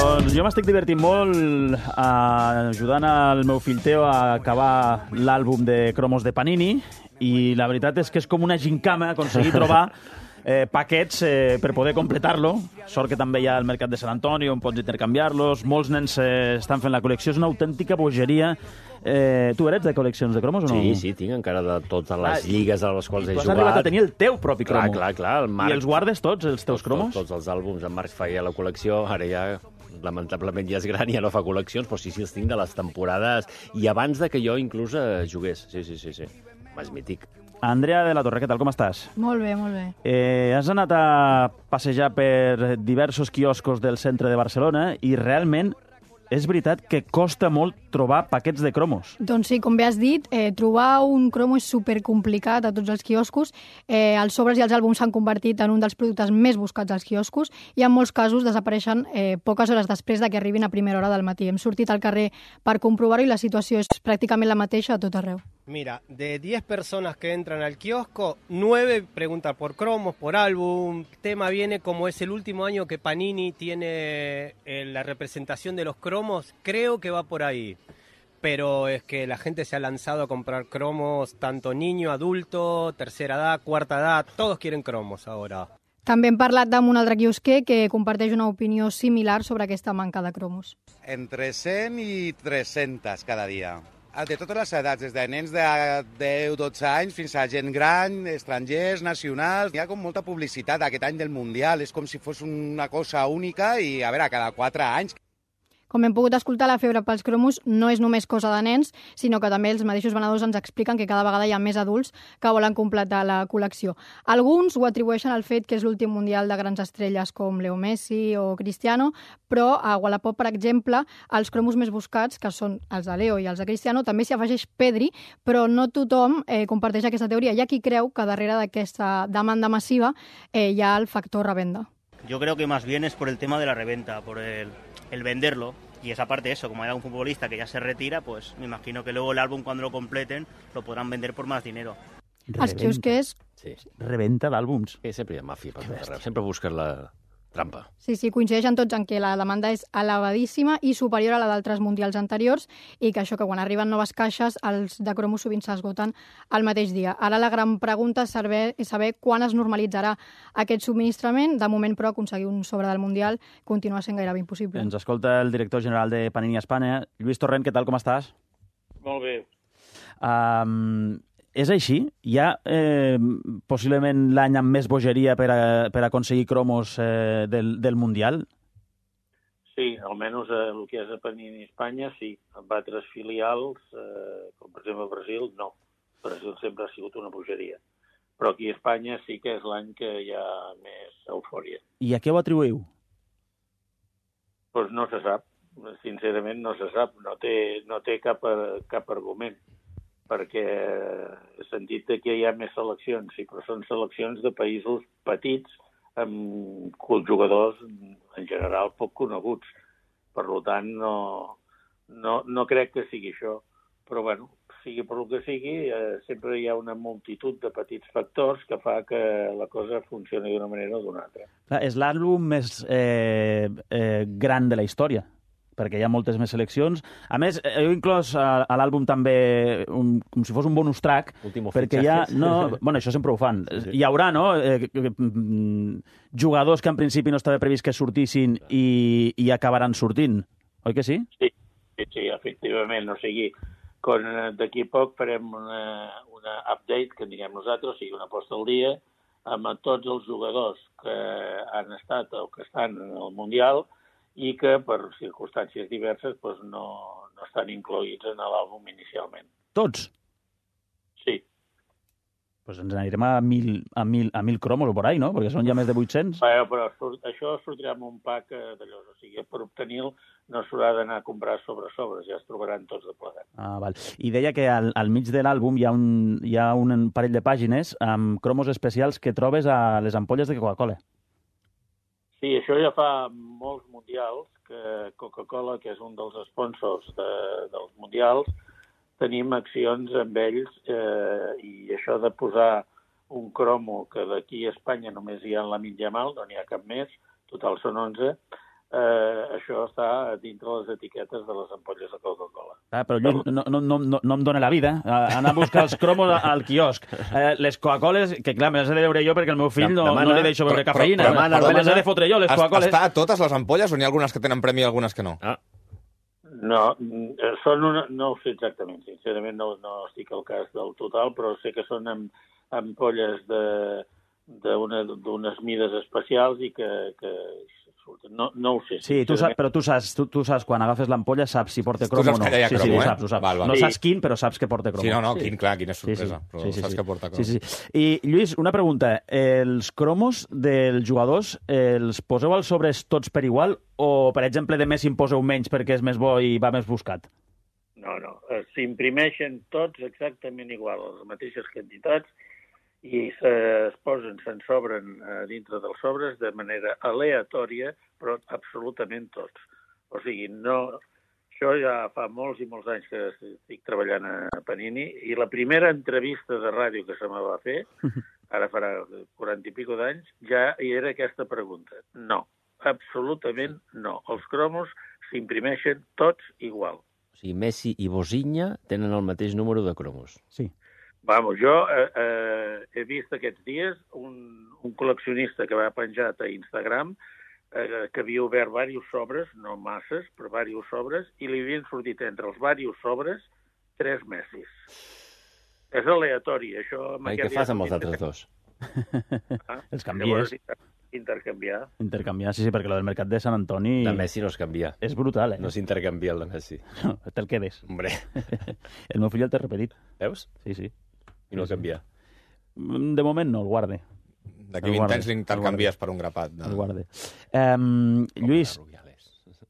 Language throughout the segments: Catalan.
Doncs jo m'estic divertint molt ajudant el meu fill Teo a acabar l'àlbum de cromos de Panini i la veritat és que és com una gincama aconseguir trobar paquets per poder completar-lo. Sort que també hi ha el mercat de Sant Antoni on pots intercanviar-los. Molts nens estan fent la col·lecció. És una autèntica bogeria. Tu eres de col·leccions de cromos o no? Sí, tinc encara de totes les lligues a les quals he jugat. Tu has arribat a tenir el teu propi cromo. Clar. El Marc... I els guardes tots, els teus cromos? Tots els àlbums. En Marc feia la col·lecció, ara ja lamentablement ja és gran i ja no fa col·leccions, però sí, els tinc de les temporades i abans de que jo inclús jugués. Sí. És mític. Andrea de la Torre, què tal, com estàs? Molt bé, molt bé. Has anat a passejar per diversos quioscos del centre de Barcelona i realment és veritat que costa molt trobar paquets de cromos. Doncs sí, com bé has dit, trobar un cromo és supercomplicat a tots els quioscos. Els sobres i els àlbums s'han convertit en un dels productes més buscats als quioscos i en molts casos desapareixen poques hores després de que arribin a primera hora del matí. Hem sortit al carrer per comprovar-ho i la situació és pràcticament la mateixa a tot arreu. Mira, de 10 personas que entran al kiosco, 9 preguntan por cromos, por álbum. El tema viene como es el último año que Panini tiene la representación de los cromos, creo que va por ahí. Pero es que la gente se ha lanzado a comprar cromos, tanto niño, adulto, tercera edad, cuarta edad, todos quieren cromos ahora. També hem parlat amb un altre quiosquer que comparteix una opinió similar sobre aquesta manca de cromos. Entre 100 i 300 cada dia. De totes les edats, des de nens de 10-12 anys fins a gent gran, estrangers, nacionals. Hi ha com molta publicitat aquest any del Mundial, és com si fos una cosa única i, a veure, cada 4 anys. Com hem pogut escoltar, la febre pels cromos no és només cosa de nens, sinó que també els mateixos venedors ens expliquen que cada vegada hi ha més adults que volen completar la col·lecció. Alguns ho atribueixen al fet que és l'últim mundial de grans estrelles com Leo Messi o Cristiano, però a Wallapop, per exemple, els cromos més buscats, que són els de Leo i els de Cristiano, també s'hi afegeix Pedri, però no tothom comparteix aquesta teoria. Hi ha qui creu que darrere d'aquesta demanda massiva hi ha el factor revenda. Yo creo que más bien es por el tema de la reventa, por el venderlo. Y esa parte, eso, como hay algún futbolista que ya se retira, pues me imagino que luego el álbum, cuando lo completen, lo podrán vender por más dinero. Els quiosquers... Sí. Reventa d'àlbums. Sempre hi ha màfia per tot arreu. Sempre busques la trampa. Sí, coincideixen tots en que la demanda és elevadíssima i superior a la d'altres mundials anteriors i que això, que quan arriben noves caixes, els de cromos sovint s'esgoten al mateix dia. Ara la gran pregunta és saber quan es normalitzarà aquest subministrament. De moment, però, aconseguir un sobre del mundial continua sent gairebé impossible. Ens escolta el director general de Panini Espanya. Lluís Torrent, què tal, com estàs? Molt bé. És així? Hi ha possiblement l'any amb més bogeria per aconseguir cromos del Mundial? Sí, almenys el que és a Panini Espanya, sí. Amb altres filials, com per exemple Brasil, no. Brasil sempre ha sigut una bogeria. Però aquí a Espanya sí que és l'any que hi ha més eufòria. I a què ho atribuïu? Doncs no se sap. Sincerament no se sap. No té cap argument. Perquè he sentit que hi ha més seleccions, sí, però són seleccions de països petits amb jugadors en general poc coneguts. Per tant, no crec que sigui això. Però, bueno, sigui per el que sigui, sempre hi ha una multitud de petits factors que fa que la cosa funcioni d'una manera o d'una altra. Clar, és l'àlbum més gran de la història, perquè hi ha moltes més seleccions. A més, heu inclòs a l'àlbum també com si fos un bonus track, perquè hi ha... Bueno, això sempre ho fan. Sí. Hi haurà, no?, jugadors que en principi no estava previst que sortissin i acabaran sortint. Oi que sí? Sí, efectivament. O sigui, d'aquí a poc farem una update, que en diguem nosaltres, o sigui, una posta al dia, amb tots els jugadors que han estat o que estan en el Mundial i que per circumstàncies diverses doncs, no estan incloïts en l'àlbum inicialment. Tots? Sí. Doncs ens anirem a 1.000 cromos o por ahí, no? Perquè són ja més de 800. Però això sortirà amb un pack d'allò. O sigui, per obtenir-lo no s'haurà d'anar a comprar sobres, ja es trobaran tots de plegat. Val. I deia que al mig de l'àlbum hi ha un parell de pàgines amb cromos especials que trobes a les ampolles de Coca-Cola. Sí, això ja fa molts mundials, que Coca-Cola, que és un dels sponsors dels mundials, tenim accions amb ells i això de posar un cromo que d'aquí a Espanya només hi ha en la Yamal, no n'hi ha cap més, total són 11, això està dintre les etiquetes de les ampolles de Coca-Cola. Però Lluís, no em dóna la vida anar a buscar els cromos al quiosc. Les Coca-Coles, que clar, me les he de beure jo perquè el meu fill no li deixo beure cafeïna. Me les he de fotre jo, les Coca-Coles. Està a totes les ampolles o n'hi ha algunes que tenen premi i algunes que no? No, no ho sé exactament. Sincerament no estic al cas del total, però sé que són ampolles d'unes mides especials i que no ho sé. Sí, però tu saps, quan agafes l'ampolla, saps si porta crom o no. Tu saps que hi ha cromo, ho saps. Val. No saps quin, però saps que porta cromo. Sí, quina sorpresa. Però saps que porta cromo. Sí. I, Lluís, una pregunta. Els cromos dels jugadors els poseu als sobres tots per igual o, per exemple, de Messi en poseu menys perquè és més bo i va més buscat? No. S'imprimeixen tots exactament igual, les mateixes quantitats, i se'n sobren dintre dels sobres de manera aleatòria, però absolutament tots. O sigui, això ja fa molts i molts anys que estic treballant a Panini, i la primera entrevista de ràdio que se me va fer, ara farà 40 i pico d'anys, ja hi era aquesta pregunta. No, absolutament no. Els cromos s'imprimeixen tots igual. O sigui, Messi i Bosinha tenen el mateix número de cromos. Sí. Vamos, jo he vist aquests dies un col·leccionista que va penjat a Instagram que havia obert diversos sobres, no masses, però diversos sobres, i li havien sortit entre els diversos sobres 3 Messis. És aleatori, això... I què fas amb els altres dos? Els canvies. Intercanviar, sí, perquè el del mercat de Sant Antoni... De Messi no es canvia. És brutal, No s'intercanvia el de Messi. No, te'l quedes. Hombre. El meu fill el té repetit. Veus? Sí. I no el canvia. De moment no, el guarde. D'aquí 20 anys l'intercanvies per un grapat. El guarde. Lluís...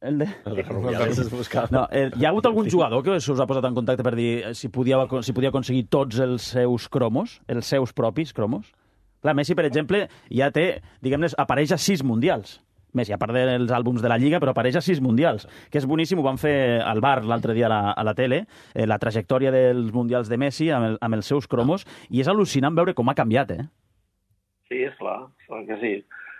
El de Rubiales es buscava. No, hi ha hagut algun jugador que us ha posat en contacte per dir si podia aconseguir tots els seus cromos, els seus propis cromos? Clar, Messi, per exemple, ja té, diguem-ne, apareix a 6 mundials. Messi, a part dels àlbums de la Lliga, però apareix a 6 mundials, que és boníssim, ho van fer al bar l'altre dia a la tele, la trajectòria dels mundials de Messi amb els seus cromos, i és al·lucinant veure com ha canviat, Sí, és clar que sí.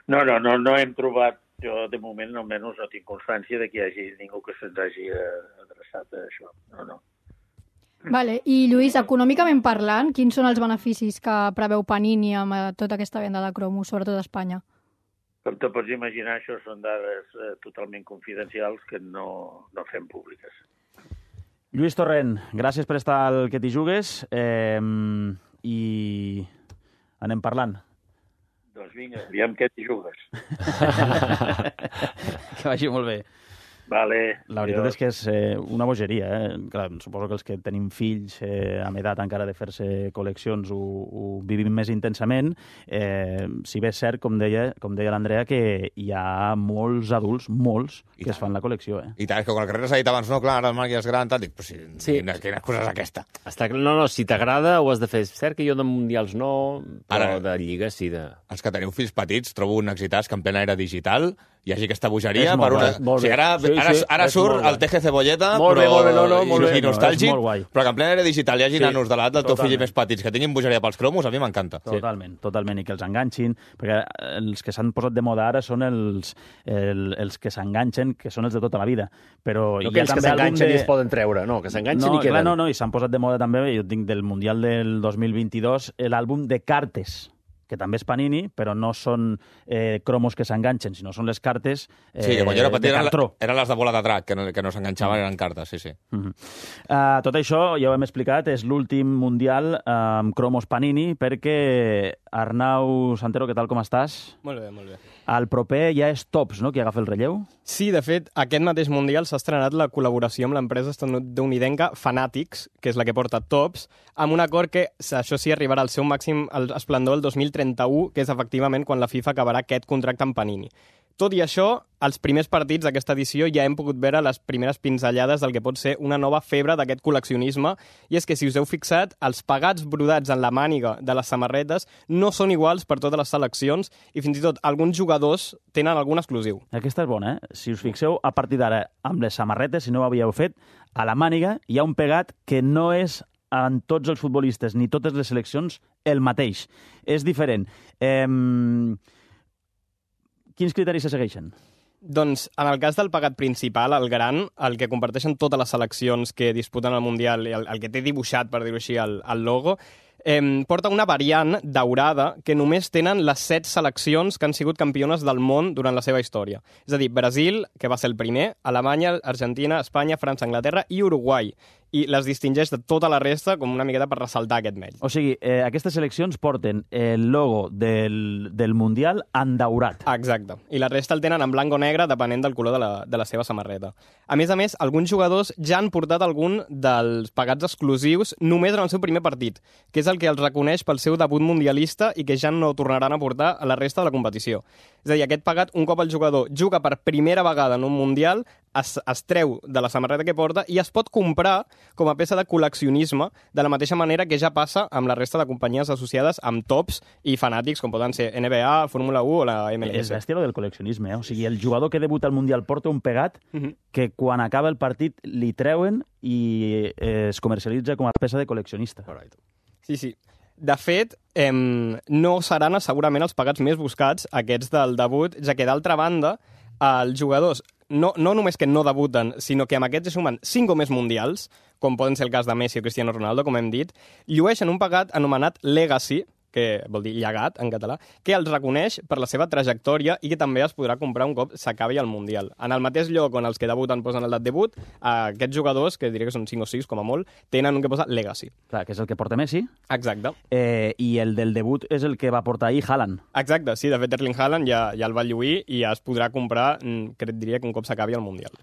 No hem trobat, jo de moment almenys no tinc constància de que hi hagi ningú que se'ns hagi adreçat a això. No. Vale. I, Lluís, econòmicament parlant, quins són els beneficis que preveu Panini amb tota aquesta venda de cromos, sobretot a Espanya? Com te pots imaginar, això són dades totalment confidencials que no fem públiques. Lluís Torrent, gràcies per estar al Que t'hi jugues i anem parlant. Doncs vinga, aviam què t'hi jugues. Que vagi molt bé. Vale. La veritat és que és una bogeria. Clar, suposo que els que tenim fills amb edat encara de fer-se col·leccions ho vivim més intensament. Si bé és cert, com deia l'Andrea, que hi ha molts adults, que es fan la col·lecció. I tant, és que quan el carrer s'ha dit abans, no, clar, ara el Marc ja és gran, tal, dic, però sí. Quina cosa és aquesta? No, si t'agrada ho has de fer. És cert que jo de mundials no, però de lliga sí. Els que teniu fills petits, trobo un exitàs que en plena era digital hi hagi aquesta bogeria. Ara surt el Teje Cebolleta i nostàlgic, però que en plena era digital hi hagi nanos de l'edat del teu fill més petits que tinguin bogeria pels cromos, a mi m'encanta. Totalment, i que els enganxin, perquè els que s'han posat de moda ara són els que s'enganxen, que són els de tota la vida. Però no que els que s'enganxen i es poden treure, no, que s'enganxen i queden. No, i s'han posat de moda també, jo tinc del Mundial del 2022, l'àlbum de cartes, que també és Panini, però no són cromos que s'enganxen, sinó són les cartes sí, que quan jo era petit de cartró. Eren les de bola de drac, que no s'enganxaven, eren cartes, sí. Tot això, ja ho hem explicat, és l'últim Mundial amb cromos Panini, perquè Arnau Santero, què tal, com estàs? Molt bé. El proper ja és Topps, no?, qui agafa el relleu? Sí, de fet, aquest mateix Mundial s'ha estrenat la col·laboració amb l'empresa estatunidenca Fanatics, que és la que porta Topps, amb un acord que, això sí, arribarà al seu màxim esplendor el 2031, que és efectivament quan la FIFA acabarà aquest contracte amb Panini. Tot i això, als primers partits d'aquesta edició ja hem pogut veure les primeres pinzellades del que pot ser una nova febre d'aquest col·leccionisme, i és que, si us heu fixat, els pegats brodats en la màniga de les samarretes no són iguals per totes les seleccions, i fins i tot alguns jugadors tenen algun exclusiu. Aquesta és bona, Si us fixeu, a partir d'ara, amb les samarretes, si no ho havíeu fet, a la màniga hi ha un pegat que no és en tots els futbolistes ni totes les seleccions el mateix. És diferent. Quins criteris se segueixen? Doncs, en el cas del pagat principal, el gran, el que comparteixen totes les seleccions que disputen el Mundial, el que té dibuixat, per dir-ho així, el logo, porta una variant daurada que només tenen les 7 seleccions que han sigut campiones del món durant la seva història. És a dir, Brasil, que va ser el primer, Alemanya, Argentina, Espanya, França, Anglaterra i Uruguai. I les distingeix de tota la resta com una miqueta per ressaltar aquest mèrit. O sigui, aquestes seleccions porten el logo del Mundial endaurat. Exacte. I la resta el tenen en blanc o negre, depenent del color de la seva samarreta. A més, alguns jugadors ja han portat algun dels pagats exclusius només en el seu primer partit, que és el que els reconeix pel seu debut mundialista i que ja no tornaran a portar a la resta de la competició. És a dir, aquest pagat, un cop el jugador juga per primera vegada en un Mundial, es treu de la samarreta que porta i es pot comprar com a peça de col·leccionisme, de la mateixa manera que ja passa amb la resta de companyies associades amb tops i fanàtics, com poden ser NBA, Fórmula 1 o la MLS. És bèstia del col·leccionisme, O sigui, el jugador que debuta al Mundial porta un pegat que quan acaba el partit li treuen i es comercialitza com a peça de col·leccionista. Sí. De fet, no seran segurament els pagats més buscats, aquests del debut, ja que d'altra banda, els jugadors no només que no debuten, sinó que amb aquests sumen 5 o més mundials, com poden ser el cas de Messi o Cristiano Ronaldo, com hem dit, llueixen un pagat anomenat Legacy, que vol dir llegat en català, que els reconeix per la seva trajectòria i que també es podrà comprar un cop s'acabi el Mundial. En el mateix lloc on els que debuten posen el debut, aquests jugadors, que diré que són 5 o 6 com a molt, tenen un que posa Legacy. Clar, que és el que porta Messi. Exacte. I el del debut és el que va portar ahir Haaland. Exacte, sí, de fet Erling Haaland ja el va lluir i ja es podrà comprar, diria que un cop s'acabi el Mundial.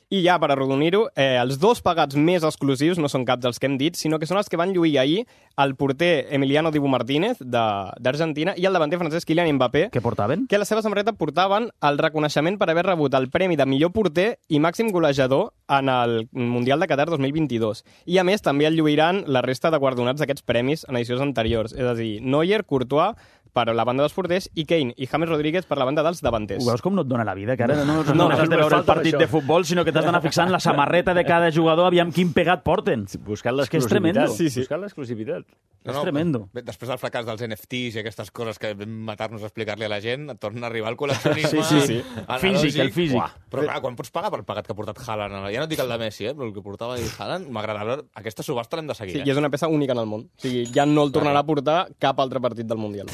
I ja, per arrodonir-ho, els 2 pagats més exclusius no són cap dels que hem dit, sinó que són els que van lluir ahir el porter Emiliano Dibu Martínez, d'Argentina, i el davanter francès Kylian Mbappé. Què portaven? Que a la seva samarreta portaven el reconeixement per haver rebut el premi de millor porter i màxim golejador en el Mundial de Qatar 2022. I, a més, també el lluiran la resta de guardonats d'aquests premis en edicions anteriors. És a dir, Neuer, Courtois, per la banda dels porters, i Kane i James Rodríguez per la banda dels davanters. Ho veus com no et dona la vida? Que ara no has de veure el partit de futbol, sinó que t'has d'anar fixant la samarreta de cada jugador, aviam quin pegat porten. Buscant l'exclusivitat. Sí. Buscant l'exclusivitat. És tremendo. Després del fracàs dels NFTs i aquestes coses que vam matar-nos a explicar-li a la gent, et torna a arribar el col·leccionisme. Sí. El físic. Però clar, quan pots pagar per pagat que ha portat Haaland? Ja no et dic el de Messi, però el que portava Haaland, m'agrada. Aquesta subhasta l'hem de seguir. Sí, i és una peça única en el món. O sigui, ja no el tornarà a portar cap altre partit del Mundial.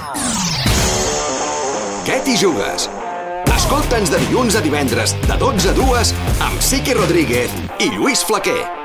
Què t'hi jugues? Escolta'ns de dilluns a divendres, de 12 a 2, amb Sique Rodríguez i Lluís Flaquer.